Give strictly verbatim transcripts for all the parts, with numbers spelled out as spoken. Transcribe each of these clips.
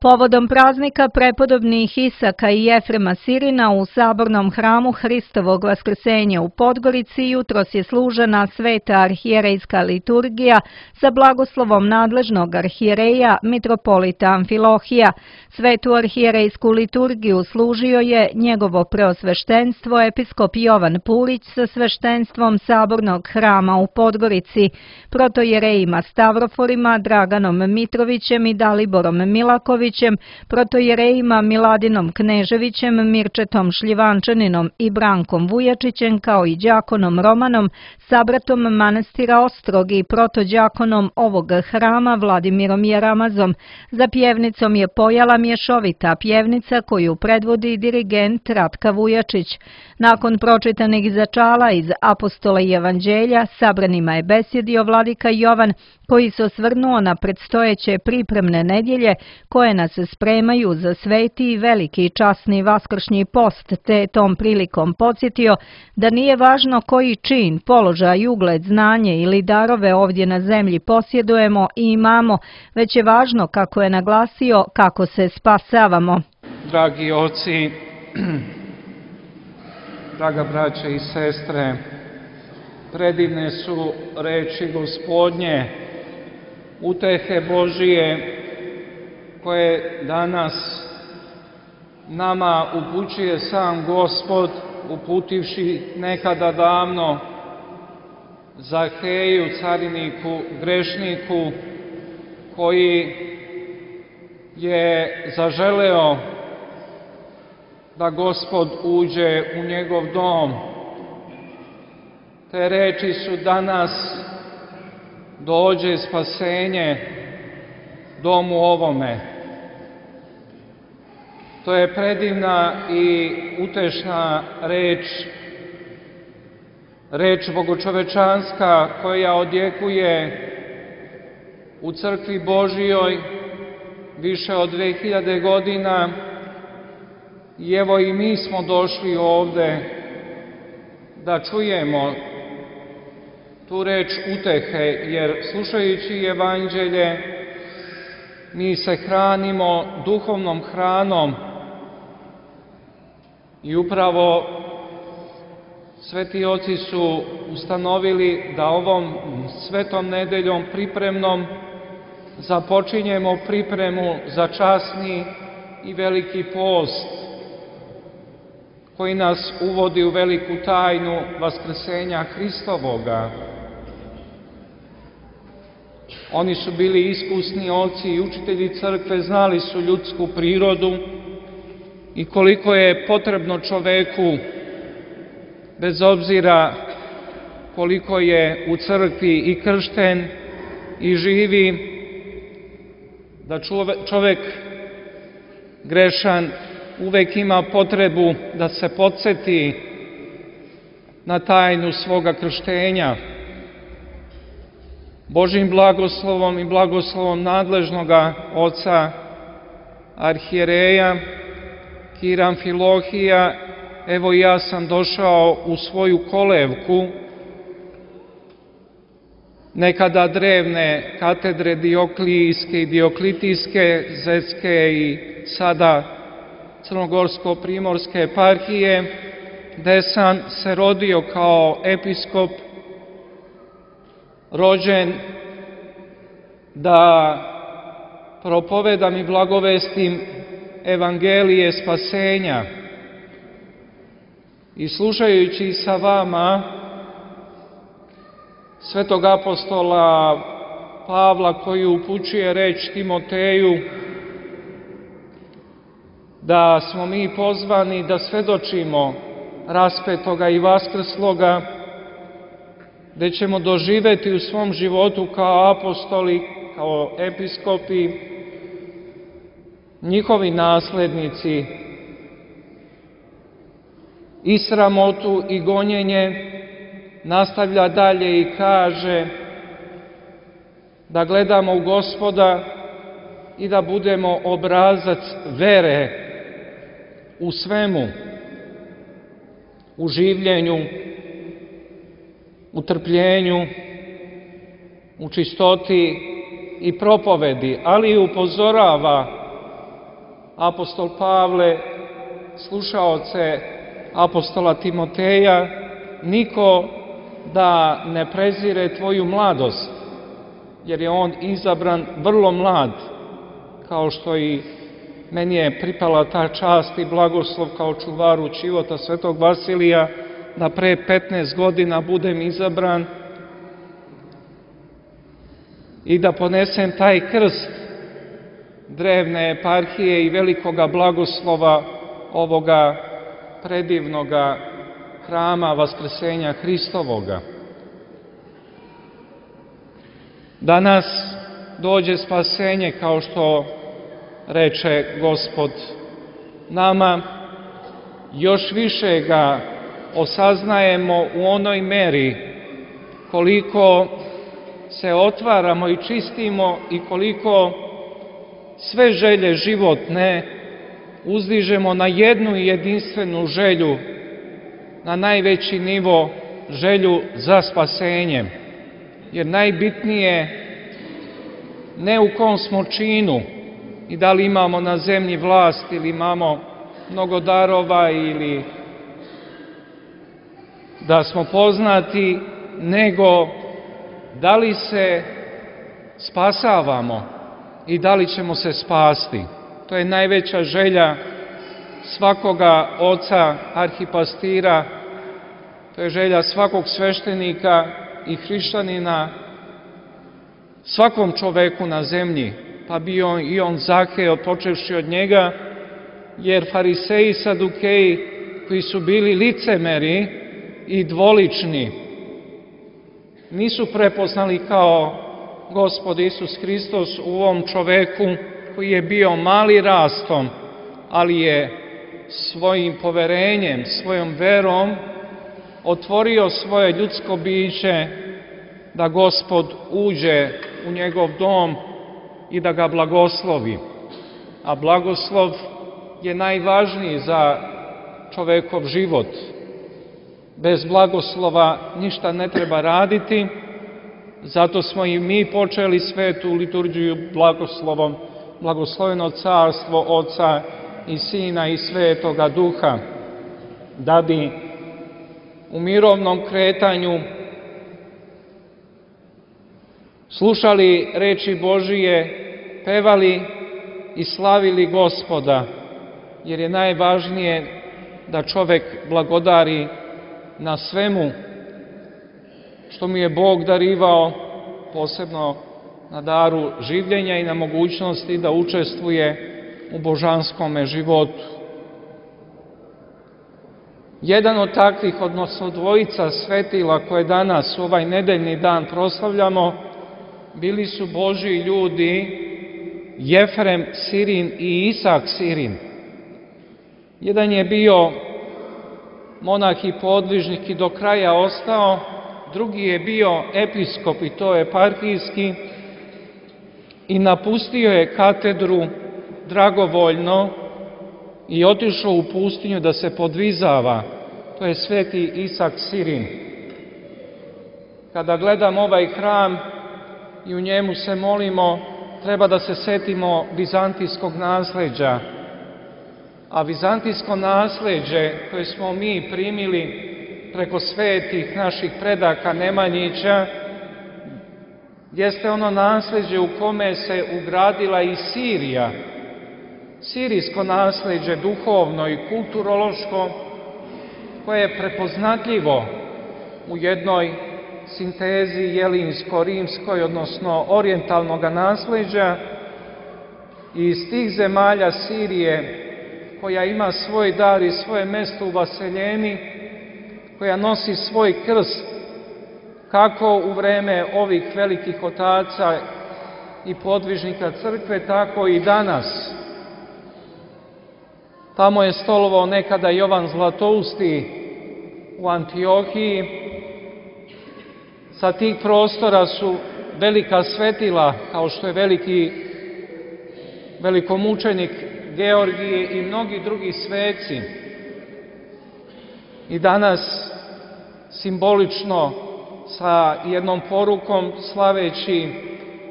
Povodom praznika prepodobnih Isaka i Jefrema Sirina u Sabornom hramu Hristovog Vaskrsenja u Podgorici jutros je služena sveta arhijerejska liturgija sa blagoslovom nadležnog arhijereja mitropolita Amfilohija. Svetu arhijerejsku liturgiju služio je njegovo preosveštenstvo episkop Jovan Pulić sa sveštenstvom Sabornog hrama u Podgorici, protojerejima Stavroforima, Draganom Mitrovićem i Daliborom Milakovićem, protojerejima Miladinom Kneževićem, Mirčetom Šljivančaninom i Brankom Vujačićem, kao i đakonom Romanom, sabratom manastira Ostrog i protođakonom ovog hrama Vladimirom Jaramazom. Za pjevnicom je pojala mješovita pjevnica koju predvodi dirigent Ratka Vujačić. Nakon pročitanih začala iz Apostola i Evanđelja, sabranima je besjedio vladika Jovan, koji se osvrnuo na predstojeće pripremne nedjelje koje nas spremaju za sveti i veliki časni vaskršnji post, te tom prilikom podsjetio da nije važno koji čin, položaj, ugled, znanje ili darove ovdje na zemlji posjedujemo i imamo, već je važno, kako je naglasio, kako se spasavamo. Dragi oci, draga braća i sestre, predivne su reči Gospodnje, utehe Božije, koje danas nama upućuje sam Gospod, uputivši nekada davno Zaheju, cariniku, grešniku, koji je zaželeo da Gospod uđe u njegov dom. Te reči su danas: dođe spasenje domu ovome. To je predivna i utešna reč, reč bogočovečanska koja odjekuje u crkvi Božijoj više od dve hiljade godina. I evo i mi smo došli ovde da čujemo tu reč utehe, jer slušajući Evanđelje mi se hranimo duhovnom hranom i upravo sveti oci su ustanovili da ovom svetom nedeljom pripremnom započinjemo pripremu za časni i veliki post koji nas uvodi u veliku tajnu vaskrsenja Hristovoga. Oni su bili iskusni oci i učitelji crkve, znali su ljudsku prirodu i koliko je potrebno čoveku, bez obzira koliko je u crkvi i kršten i živi, da čovek grešan uvek ima potrebu da se podsjeti na tajnu svoga krštenja. Božjim blagoslovom i blagoslovom nadležnoga oca arhijereja Kira Amfilohija, evo ja sam došao u svoju kolevku nekada drevne katedre Dioklijske i Dioklitijske, Zetske i sada Crnogorsko-primorske eparhije, gde sam se rodio kao episkop, rođen da propovedam i blagovestim evangelije spasenja. I slušajući sa vama svetog apostola Pavla, koji upućuje reč Timoteju da smo mi pozvani da svedočimo raspetoga i vaskrsloga, gde ćemo doživeti u svom životu kao apostoli, kao episkopi, njihovi naslednici, i sramotu i gonjenje, nastavlja dalje i kaže da gledamo u Gospoda i da budemo obrazac vere u svemu, u življenju, u trpljenju, u čistoti i propovedi, ali i upozorava apostol Pavle, slušaoce apostola Timoteja, niko da ne prezire tvoju mladost, jer je on izabran vrlo mlad, kao što i meni je pripala ta čast i blagoslov kao čuvaru čivota svetog Vasilija, da pre petnaest godina budem izabran i da ponesem taj krst drevne eparhije i velikoga blagoslova ovoga predivnoga hrama Vaskrsenja Hristovoga. Danas dođe spasenje, kao što reče Gospod nama, još više ga osaznajemo u onoj meri koliko se otvaramo i čistimo i koliko sve želje životne uzdižemo na jednu jedinstvenu želju, na najveći nivo, želju za spasenjem. Jer najbitnije ne u kom smo činu i da li imamo na zemlji vlast ili imamo mnogo darova ili da smo poznati, nego da li se spasavamo i da li ćemo se spasti. To je najveća želja svakoga oca, arhipastira, to je želja svakog sveštenika i hrišćanina, svakom čoveku na zemlji, pa bio i on Zakeo, počevši od njega, jer fariseji i sadukeji, koji su bili licemeri i dvolični, nisu prepoznali kao Gospod Isus Hristos u ovom čoveku koji je bio mali rastom, ali je svojim poverenjem, svojom verom otvorio svoje ljudsko biće da Gospod uđe u njegov dom i da ga blagoslovi. A blagoslov je najvažniji za čovekov život. Bez blagoslova ništa ne treba raditi, zato smo i mi počeli svetu liturgiju blagoslovom, blagosloveno carstvo Oca i Sina i Svetoga Duha, da bi u mirovnom kretanju slušali reči Božije, pevali i slavili Gospoda, jer je najvažnije da čovek blagodari na svemu što mu je Bog darivao, posebno na daru življenja i na mogućnosti da učestvuje u božanskome životu. Jedan od takvih, odnosno dvojica svetila koje danas u ovaj nedeljni dan proslavljamo, bili su Božji ljudi Jefrem Sirin i Isak Sirin. Jedan je bio monah i podvižnik i do kraja ostao, drugi je bio episkop i to eparhijski i napustio je katedru dragovoljno i otišao u pustinju da se podvizava. To je sveti Isak Sirin. Kada gledam ovaj hram i u njemu se molimo, treba da se setimo vizantijskog nasleđa. A vizantijsko nasleđe koje smo mi primili preko svetih naših predaka Nemanjića jeste ono nasleđe u kome se ugradila i Sirija, sirijsko nasleđe duhovno i kulturološko, koje je prepoznatljivo u jednoj sintezi jelinsko-rimskoj, odnosno orijentalnog nasleđa. I iz tih zemalja Sirije, koja ima svoj dar i svoje mesto u vaseljeni, koja nosi svoj krst, kako u vreme ovih velikih otaca i podvižnika crkve, tako i danas. Tamo je stolovao nekada Jovan Zlatousti u Antiohiji. Sa tih prostora su velika svetila, kao što je veliki velikomučenik Georgije i mnogi drugi sveci. I danas simbolično sa jednom porukom, slaveći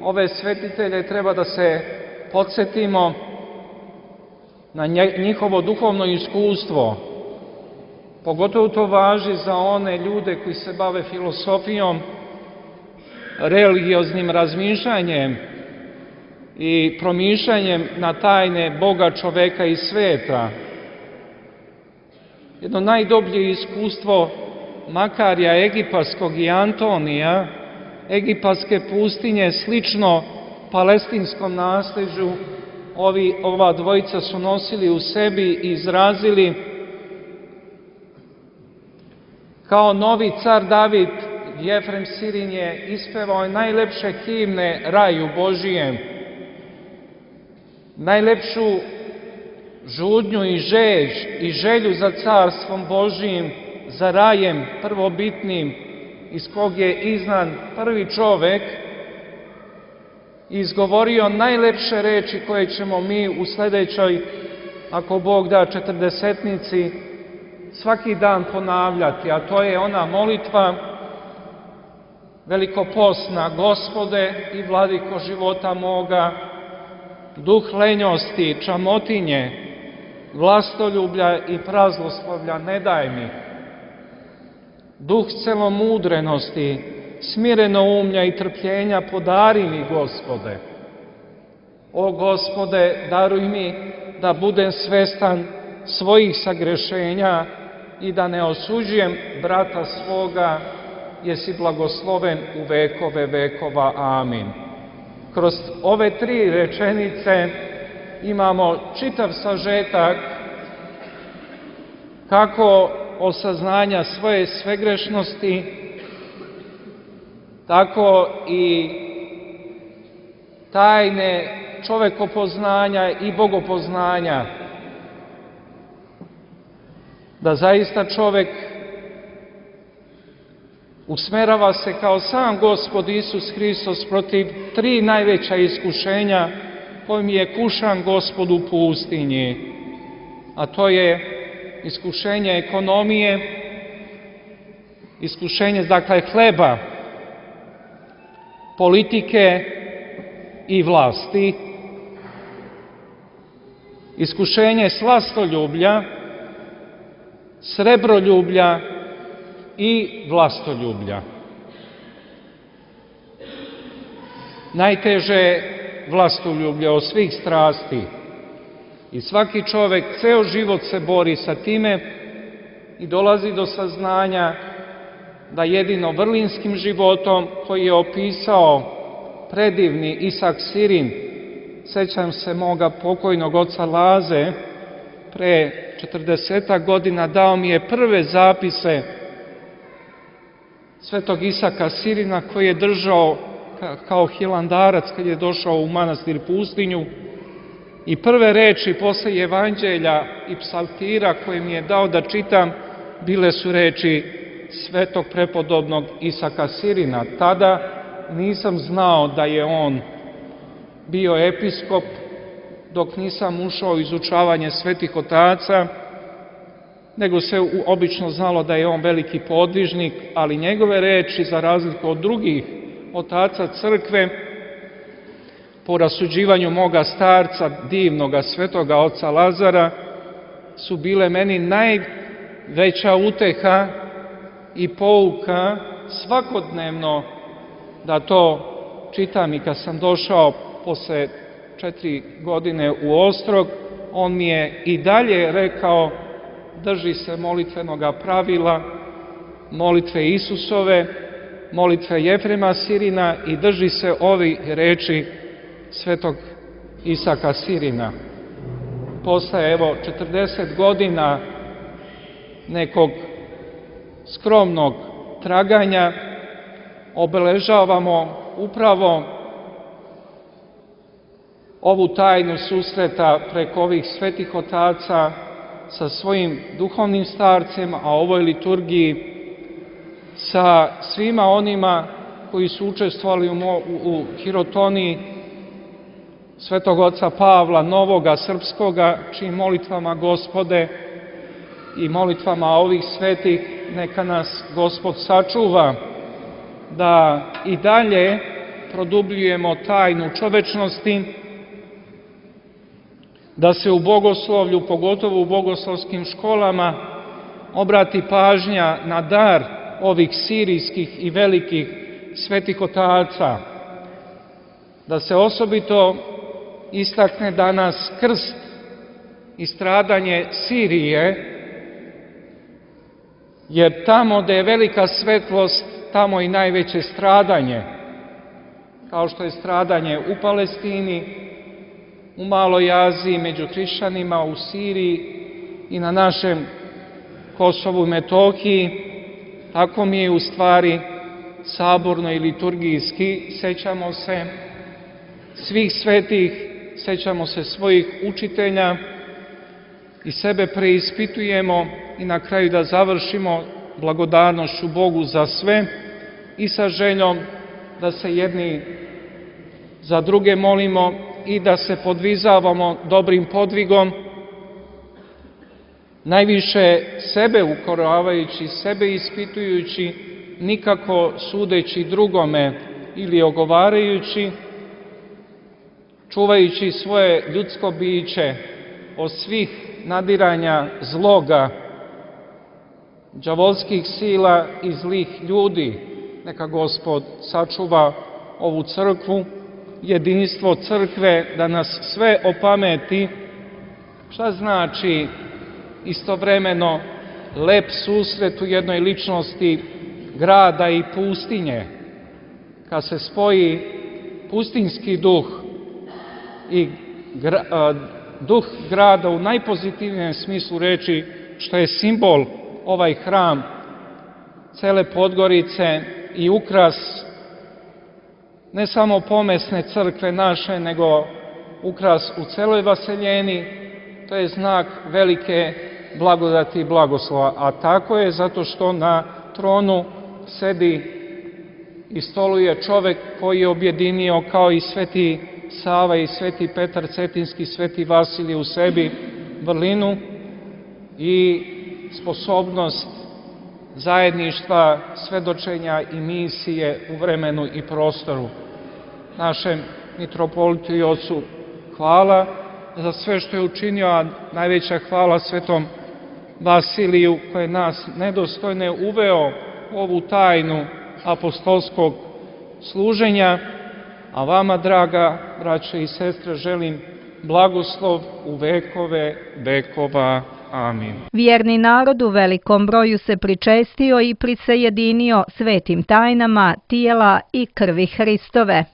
ove svetitelje, treba da se podsjetimo na njihovo duhovno iskustvo. Pogotovo to važi za one ljude koji se bave filosofijom, religioznim razmišljanjem i promišljanjem na tajne Boga, čoveka i sveta. Jedno najdublje iskustvo Makarija Egipatskog i Antonija, egipatske pustinje, slično palestinskom nasleđu, ovi, ova dvojica su nosili u sebi i izrazili. Kao novi car David, Jefrem Sirin je ispevao najlepše himne raju Božijem, najlepšu žudnju i žeđ i želju za carstvom Božijim, za rajem prvobitnim, iz kog je iznan prvi čovek, izgovorio najlepše reči koje ćemo mi u sledećoj, ako Bog da, četrdesetnici, svaki dan ponavljati, a to je ona molitva velikoposna: Gospode i vladiko života moga, duh lenjosti, čamotinje, vlastoljublja i praznoslovlja ne daj mi. Duh celomudrenosti, smirenoumlja i trpljenja podari mi, Gospode. O Gospode, daruj mi da budem svestan svojih sagrešenja i da ne osuđujem brata svoga, jesi blagosloven u vekove vekova. Amin. Kroz ove tri rečenice imamo čitav sažetak kako osaznanja svoje svegrešnosti, tako i tajne čovekopoznanja i bogopoznanja. Da zaista čovek usmerava se kao sam Gospod Isus Hristos protiv tri najveća iskušenja kojim je kušan Gospod u pustinji, a to je iskušenje ekonomije, iskušenje, dakle, hleba, politike i vlasti, iskušenje slastoljublja, srebroljublja i vlastoljublja. Najteže je vlastoljublje od svih strasti i svaki čovek ceo život se bori sa time i dolazi do saznanja da jedino vrlinskim životom koji je opisao predivni Isak Sirin, sećam se moga pokojnog oca Laze, pre četrdesetak godina dao mi je prve zapise svetog Isaka Sirina koji je držao kao hilandarac kad je došao u manastir pustinju, i prve reči posle evanđelja i psaltira koje mi je dao da čitam bile su reči svetog prepodobnog Isaka Sirina. Tada nisam znao da je on bio episkop, dok nisam ušao u izučavanje svetih otaca, nego se obično znalo da je on veliki podvižnik, ali njegove reči, za razliku od drugih otaca crkve, po rasuđivanju moga starca, divnoga svetoga oca Lazara, su bile meni najveća uteha i pouka svakodnevno da to čitam. I kad sam došao posle četiri godine u Ostrog, on mi je i dalje rekao: drži se molitvenoga pravila, molitve Isusove, molitve Jefrema Sirina i drži se ovi reči svetog Isaka Sirina. Posle, evo, četrdeset godina nekog skromnog traganja obeležavamo upravo ovu tajnu susreta preko ovih svetih otaca sa svojim duhovnim starcem, a ovoj liturgiji sa svima onima koji su učestvovali u, u hirotoniji svetog oca Pavla, novoga srpskoga, čijim molitvama, Gospode, i molitvama ovih svetih neka nas Gospod sačuva da i dalje produbljujemo tajnu čovečnosti, da se u bogoslovlju, pogotovo u bogoslovskim školama, obrati pažnja na dar ovih sirijskih i velikih svetih otaca, da se osobito istakne danas krst i stradanje Sirije, jer tamo gde je velika svetlost, tamo i najveće stradanje, kao što je stradanje u Palestini, u Maloj Aziji, među hrišćanima, u Siriji i na našem Kosovu i Metohiji, tako mi je u stvari saborno i liturgijski. Sećamo se svih svetih, sećamo se svojih učitelja i sebe preispitujemo i na kraju da završimo blagodarnošću Bogu za sve i sa željom da se jedni za druge molimo i da se podvizavamo dobrim podvigom, najviše sebe ukoravajući, sebe ispitujući, nikako sudeći drugome ili ogovarajući, čuvajući svoje ljudsko biće od svih nadiranja zloga, đavolskih sila i zlih ljudi. Neka Gospod sačuva ovu crkvu, jedinstvo crkve, da nas sve opameti. Šta znači istovremeno lep susret u jednoj ličnosti grada i pustinje, kad se spoji pustinski duh i gra, a, duh grada u najpozitivnijem smislu reči, što je simbol ovaj hram cele Podgorice i ukras ne samo pomesne crkve naše, nego ukras u celoj Vaseljeni. To je znak velike blagodati i blagoslova, a tako je zato što na tronu sedi i stoluje čovek koji je objedinio, kao i sveti Sava i sveti Petar Cetinski, sveti Vasilije u sebi, vrlinu i sposobnost zajedništva, svedočenja i misije u vremenu i prostoru. Našem mitropolitu i ocu hvala za sve što je učinio, a najveća hvala svetom Vasiliju koji je nas nedostojne uveo u ovu tajnu apostolskog služenja, a vama, draga braće i sestre, želim blagoslov u vekove vekova. Amin. Vjerni narod u velikom broju se pričestio i prisajedinio svetim tajnama tijela i krvi Hristove.